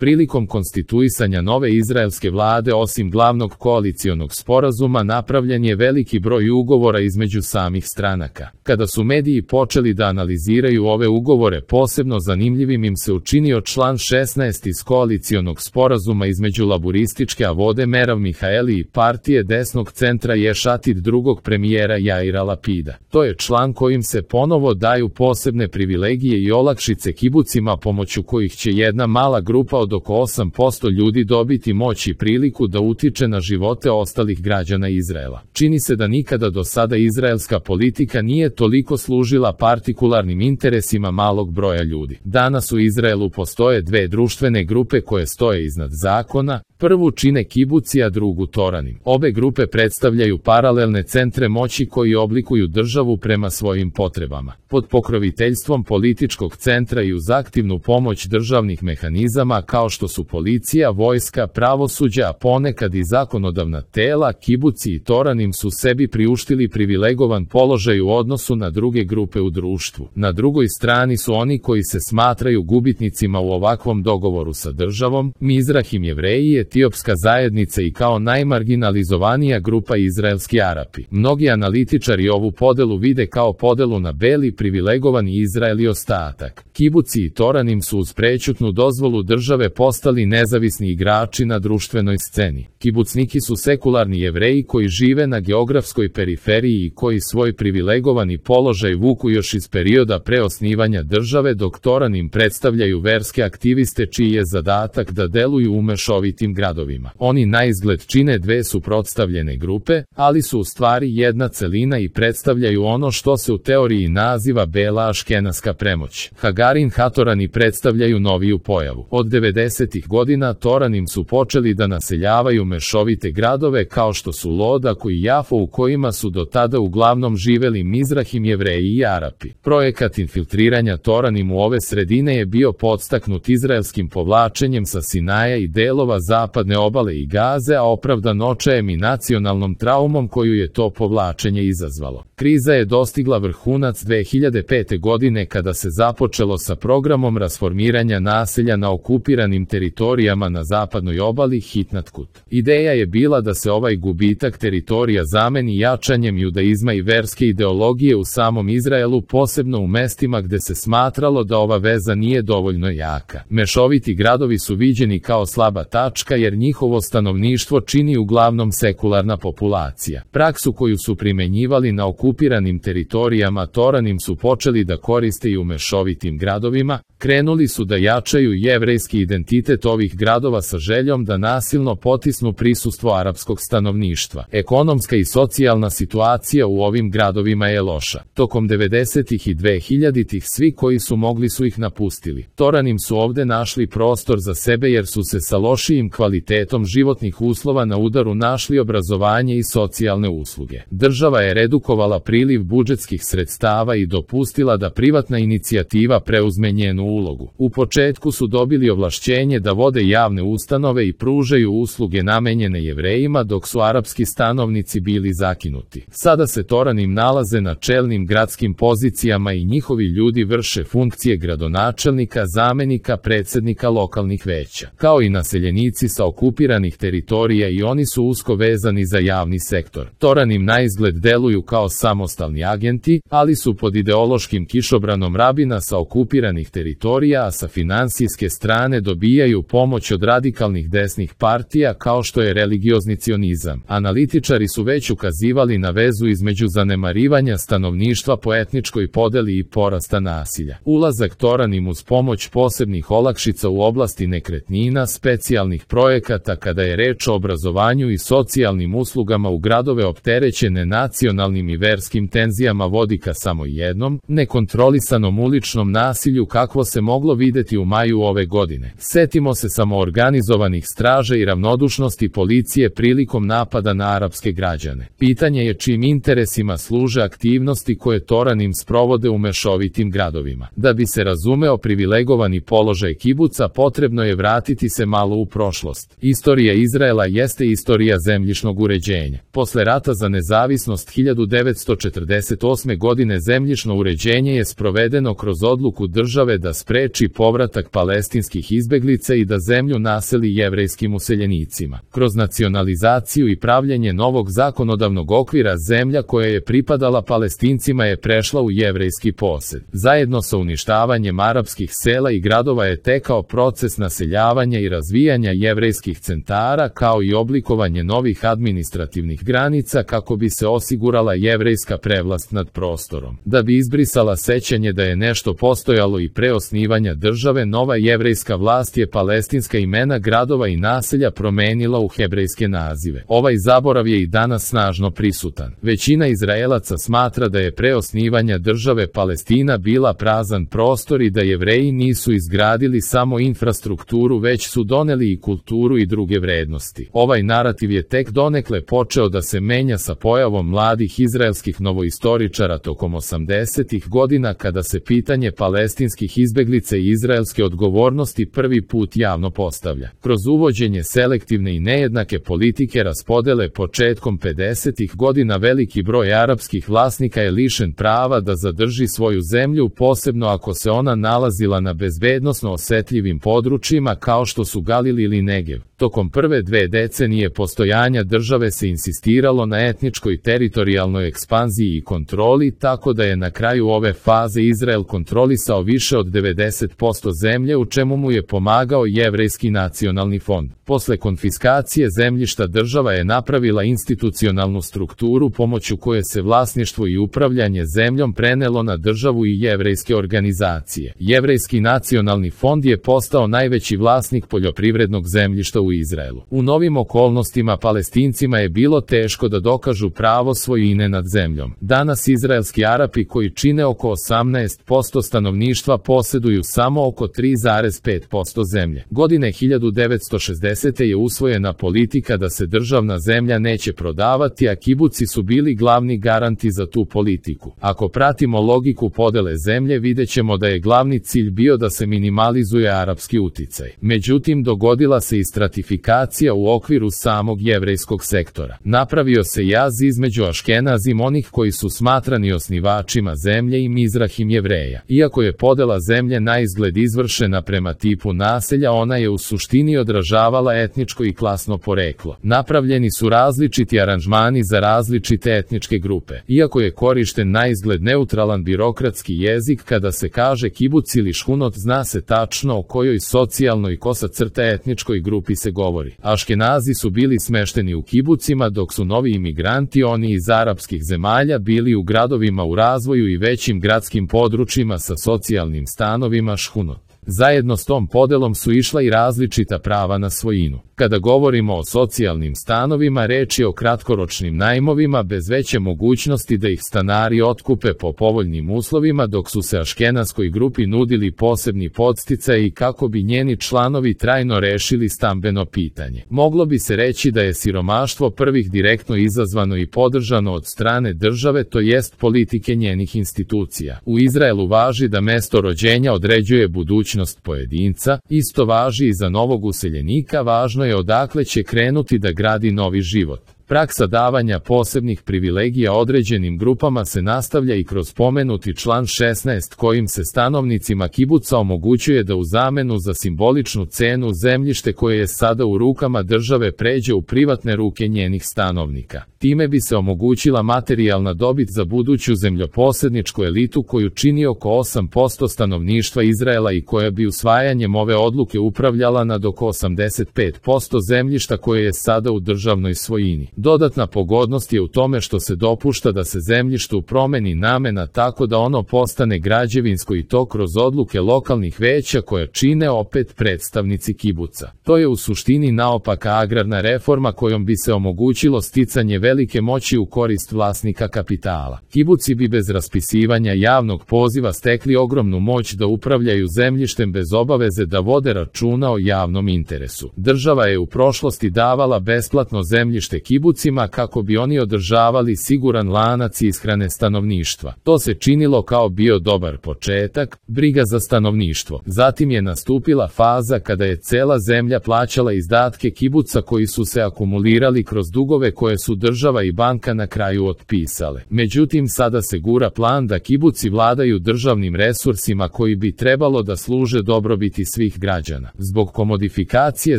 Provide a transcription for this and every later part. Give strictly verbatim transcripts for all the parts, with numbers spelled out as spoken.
Prilikom konstituisanja nove izraelske vlade osim glavnog koalicionog sporazuma napravljen je veliki broj ugovora između samih stranaka. Kada su mediji počeli da analiziraju ove ugovore, posebno zanimljivim im se učinio član šesnaest iz koalicionog sporazuma između laburističke Avode Merav Mihaeli i partije desnog centra Ješ Atid drugog premijera Jaira Lapida. To je član kojim se ponovo daju posebne privilegije i olakšice kibucima pomoću kojih će jedna mala grupa od oko osam posto ljudi dobiti moć i priliku da utiče na živote ostalih građana Izraela. Čini se da nikada do sada izraelska politika nije toliko služila partikularnim interesima malog broja ljudi. Danas u Izraelu postoje dve društvene grupe koje stoje iznad zakona. Prvu čine kibuci, a drugu toranim. Obe grupe predstavljaju paralelne centre moći koji oblikuju državu prema svojim potrebama. Pod pokroviteljstvom političkog centra i uz aktivnu pomoć državnih mehanizama kao što su policija, vojska, pravosuđa, a ponekad i zakonodavna tela, kibuci i toranim su sebi priuštili privilegovan položaj u odnosu na druge grupe u društvu. Na drugoj strani su oni koji se smatraju gubitnicima u ovakvom dogovoru sa državom, Mizrahim Jevreji, etiopska zajednica i kao najmarginalizovanija grupa izraelski Arapi. Mnogi analitičari ovu podelu vide kao podelu na beli privilegovani Izrael i ostatak. Kibuci i toranim su uz prećutnu dozvolu države postali nezavisni igrači na društvenoj sceni. Kibucniki su sekularni Jevreji koji žive na geografskoj periferiji i koji svoj privilegovani položaj vuku još iz perioda pre osnivanja države, dok toranim predstavljaju verske aktiviste čiji je zadatak da deluju u mešovitim gradovima. Oni naizgled čine dve suprotstavljene grupe, ali su u stvari jedna celina i predstavljaju ono što se u teoriji naziva bela aškenaska premoć. Hagarin Hatorani predstavljaju noviju pojavu. Od devedesetih godina toranim su počeli da naseljavaju mešovite gradove kao što su Lodak i Jafo, u kojima su do tada uglavnom živeli Mizrahim Jevreji i Arapi. Projekat infiltriranja toranim u ove sredine je bio podstaknut izraelskim povlačenjem sa Sinaja i delova zapadne obale i Gaze, a opravdan očajem i nacionalnom traumom koju je to povlačenje izazvalo. Kriza je dostigla vrhunac dve hiljade pete godine kada se započelo sa programom rasformiranja naselja na okupiranim teritorijama na zapadnoj obali Hitnatkut. Ideja je bila da se ovaj gubitak teritorija zameni jačanjem judaizma i verske ideologije u samom Izraelu, posebno u mestima gde se smatralo da ova veza nije dovoljno jaka. Mešoviti gradovi su viđeni kao slaba tačka jer njihovo stanovništvo čini uglavnom sekularna populacija. Praksu koju su primenjivali na okupiranim teritorijama toranim su počeli da koriste i u mešovitim gradovima, krenuli su da jačaju jevrejski identitet ovih gradova sa željom da nasilno potisnu prisustvo arapskog stanovništva. Ekonomska i socijalna situacija u ovim gradovima je loša. Tokom devedesetih i dvehiljaditih svi koji su mogli su ih napustili. Toranim su ovde našli prostor za sebe jer su se sa lošijim kvalitetom životnih uslova na udaru našli obrazovanje i socijalne usluge. Država je redukovala priliv budžetskih sredstava i dopustila da privatna inicijativa preuzme njenu ulogu. U početku su dobili ovlašćenje da vode javne ustanove i pružaju usluge namenjene Jevrejima, dok su arapski stanovnici bili zakinuti. Sada se toranim nalaze na čelnim gradskim pozicijama i njihovi ljudi vrše funkcije gradonačelnika, zamenika, predsednika lokalnih veća. Kao i naseljenici sa okupiranih teritorija, i oni su usko vezani za javni sektor. Toranim naizgled deluju kao samostalni agenti, ali su pod ideološkim kišobranom rabina sa okupiranih teritorija, a sa finansijske strane dobijaju pomoć od radikalnih desnih partija kao što je religiozni cionizam. Analitičari su već ukazivali na vezu između zanemarivanja stanovništva po etničkoj podeli i porasta nasilja. Ulazak toranim uz pomoć posebnih olakšica u oblasti nekretnina, specijalnih projekata kada je reč o obrazovanju i socijalnim uslugama u gradove opterećene nacionalnim i verskim tenzijama vodi ka samo jednom, nekontrolisanom uličnom nasilju kakvo se moglo videti u maju ove godine. Setimo se samoorganizovanih straža i ravnodušnosti policije prilikom napada na arapske građane. Pitanje je čim interesima služe aktivnosti koje toranim sprovode u mešovitim gradovima. Da bi se razumeo privilegovani položaj kibuca, potrebno je vratiti se malo u prošlost. prošlost. Istorija Izraela jeste istorija zemljišnog uređenja. Posle rata za nezavisnost hiljadu devetsto četrdeset osme godine zemljišno uređenje je sprovedeno kroz odluku države da spreči povratak palestinskih izbeglica i da zemlju naseli jevrejskim useljenicima. Kroz nacionalizaciju i pravljenje novog zakonodavnog okvira zemlja koja je pripadala Palestincima je prešla u jevrejski posed. Zajedno sa uništavanjem arapskih sela i gradova je tekao proces naseljavanja i razvijanja jevrejskih centara kao i oblikovanje novih administrativnih granica kako bi se osigurala jevrejska prevlast nad prostorom. Da bi izbrisala sećanje da je nešto postojalo i pre osnivanja države, nova jevrejska vlast je palestinska imena gradova i naselja promenila u hebrejske nazive. Ovaj zaborav je i danas snažno prisutan. Većina Izraelaca smatra da je pre osnivanja države Palestina bila prazan prostor i da Jevreji nisu izgradili samo infrastrukturu, već su doneli i kulturu i druge vrednosti. Ovaj narativ je tek donekle počeo da se menja sa pojavom mladih izraelskih novoistoričara tokom osamdesetih godina kada se pitanje palestinskih izbeglica i izraelske odgovornosti prvi put javno postavlja. Kroz uvođenje selektivne i nejednake politike raspodele početkom pedesetih godina veliki broj arapskih vlasnika je lišen prava da zadrži svoju zemlju, posebno ako se ona nalazila na bezbednosno osetljivim područjima kao što su Galil ili Negev. Tokom prve dve decenije postojanja države se insistiralo na etničkoj teritorijalnoj ekspanziji i kontroli, tako da je na kraju ove faze Izrael kontrolisao više od devedeset posto zemlje, u čemu mu je pomagao Jevrejski nacionalni fond. Posle konfiskacije zemljišta država je napravila institucionalnu strukturu pomoću koje se vlasništvo i upravljanje zemljom prenelo na državu i jevrejske organizacije. Jevrejski nacionalni fond je postao najveći vlasnik poljoprivrednog zemljišta u Izraelu. U novim okolnostima Palestincima je bilo teško da dokažu pravo svojine nad zemljom. Danas izraelski Arapi, koji čine oko osamnaest posto stanovništva, poseduju samo oko tri zarez pet posto zemlje. Godine hiljadu devetsto šezdesete je usvojena politika da se državna zemlja neće prodavati, a kibuci su bili glavni garanti za tu politiku. Ako pratimo logiku podele zemlje, videćemo da je glavni cilj bio da se minimalizuje arapski uticaj. Međutim, dogodila se i stratifikacija u okviru samog jevrejskog sektora. Napravio se jaz između Aškenazim, onih koji su smatrani osnivačima zemlje, i Mizrahim Jevreja. Iako je podela zemlje naizgled izvršena prema tipu naselja, ona je u suštini odražavala etničko i klasno poreklo. Napravljeni su različiti aranžmani za različite etničke grupe. Iako je korišten naizgled neutralan birokratski jezik, kada se kaže kibuc ili šhunot, zna se tačno o kojoj socijalnoj kosa crta etničkoj grupi se govori. Aškenazi su bili smešteni u kibucima, dok su novi imigranti, oni iz arapskih zemalja, bili u gradovima u razvoju i većim gradskim područjima sa socijalnim stanovima šhunot. Zajedno s tom podelom su išla i različita prava na svojinu. Kada govorimo o socijalnim stanovima, reč je o kratkoročnim najmovima bez veće mogućnosti da ih stanari otkupe po povoljnim uslovima, dok su se aškenaskoj grupi nudili posebni podsticaji kako bi njeni članovi trajno rešili stambeno pitanje. Moglo bi se reći da je siromaštvo prvih direktno izazvano i podržano od strane države, to jest politike njenih institucija. U Izraelu važi da mesto rođenja određuje budućnost pojedinca, isto važi i za novog useljenika, važno je odakle će krenuti da gradi novi život. Praksa davanja posebnih privilegija određenim grupama se nastavlja i kroz pomenuti član šesnaest, kojim se stanovnicima kibuca omogućuje da u zamenu za simboličnu cenu zemljište koje je sada u rukama države pređe u privatne ruke njenih stanovnika. Time bi se omogućila materijalna dobit za buduću zemljoposedničku elitu koju čini oko osam posto stanovništva Izraela i koja bi usvajanjem ove odluke upravljala nad oko osamdeset pet posto zemljišta koje je sada u državnoj svojini. Dodatna pogodnost je u tome što se dopušta da se zemljištu promeni namena tako da ono postane građevinsko, i to kroz odluke lokalnih veća koja čine opet predstavnici kibuca. To je u suštini naopaka agrarna reforma kojom bi se omogućilo sticanje velike moći u korist vlasnika kapitala. Kibuci bi bez raspisivanja javnog poziva stekli ogromnu moć da upravljaju zemljištem bez obaveze da vode računa o javnom interesu. Država je u prošlosti davala besplatno zemljište kibucima kako bi oni održavali siguran lanac ishrane stanovništva. To se činilo kao bio dobar početak, briga za stanovništvo. Zatim je nastupila faza kada je cela zemlja plaćala izdatke kibuca koji su se akumulirali kroz dugove koje su država i banka na kraju otpisale. Međutim, sada se gura plan da kibuci vladaju državnim resursima koji bi trebalo da služe dobrobiti svih građana. Zbog komodifikacije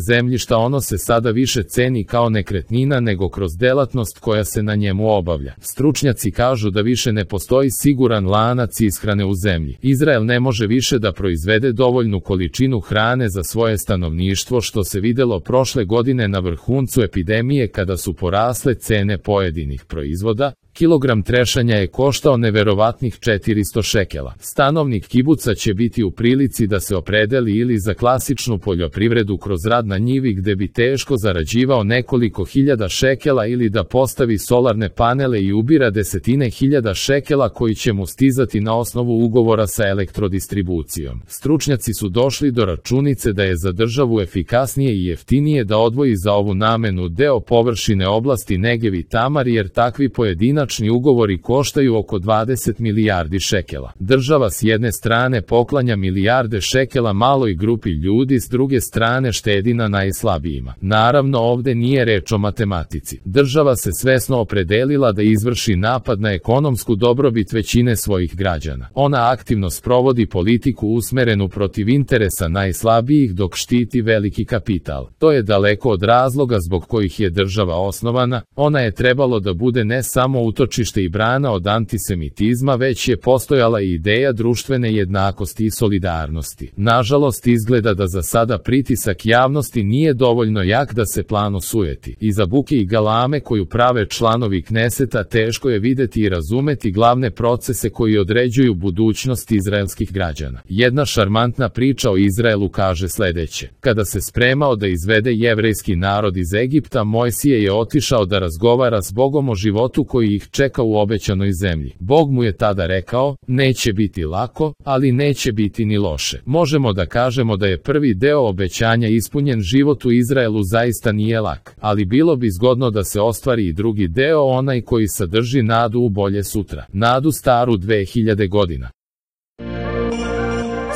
zemljišta ono se sada više ceni kao nekretnina nego kroz delatnost koja se na njemu obavlja. Stručnjaci kažu da više ne postoji siguran lanac ishrane u zemlji. Izrael ne može više da proizvede dovoljnu količinu hrane za svoje stanovništvo, što se videlo prošle godine na vrhuncu epidemije kada su porasle cene pojedinih proizvoda. Kilogram trešanja je koštao neverovatnih četiristo šekela. Stanovnik kibuca će biti u prilici da se opredeli ili za klasičnu poljoprivredu kroz rad na njivi gde bi teško zarađivao nekoliko hiljada šekela ili da postavi solarne panele i ubira desetine hiljada šekela koji će mu stizati na osnovu ugovora sa elektrodistribucijom. Stručnjaci su došli do računice da je za državu efikasnije i jeftinije da odvoji za ovu namenu deo površine oblasti Negev i Tamar, jer takvi pojedinačni ugovori koštaju oko dvadeset milijardi šekela. Država s jedne strane poklanja milijarde šekela maloj grupi ljudi, s druge strane štedi na najslabijima. Naravno, ovde nije reč o matematici. Država se svesno opredelila da izvrši napad na ekonomsku dobrobit većine svojih građana. Ona aktivno sprovodi politiku usmerenu protiv interesa najslabijih dok štiti veliki kapital. To je daleko od razloga zbog kojih je država osnovana. Ona je trebalo da bude ne samo utočište i brana od antisemitizma, već je postojala i ideja društvene jednakosti i solidarnosti. Nažalost, izgleda da za sada pritisak javnosti nije dovoljno jak da se plan osujeti. Iza buke i galame koju prave članovi Kneseta teško je videti i razumeti glavne procese koji određuju budućnost izraelskih građana. Jedna šarmantna priča o Izraelu kaže sledeće: kada se spremao da izvede jevrejski narod iz Egipta, Mojsije je otišao da razgovara s Bogom o životu koji ih čeka u obećanoj zemlji. Bog mu je tada rekao: neće biti lako, ali neće biti ni loše. Možemo da kažemo da je prvi deo obećanja ispunjen. Život u Izraelu zaista nije lak, ali bilo bi zgodno da se ostvari i drugi deo, onaj koji sadrži nadu u bolje sutra, nadu staru dve hiljade godina.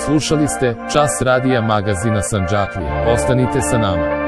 Slušali ste Čas radija magazina Sandžaklija. Ostanite sa nama.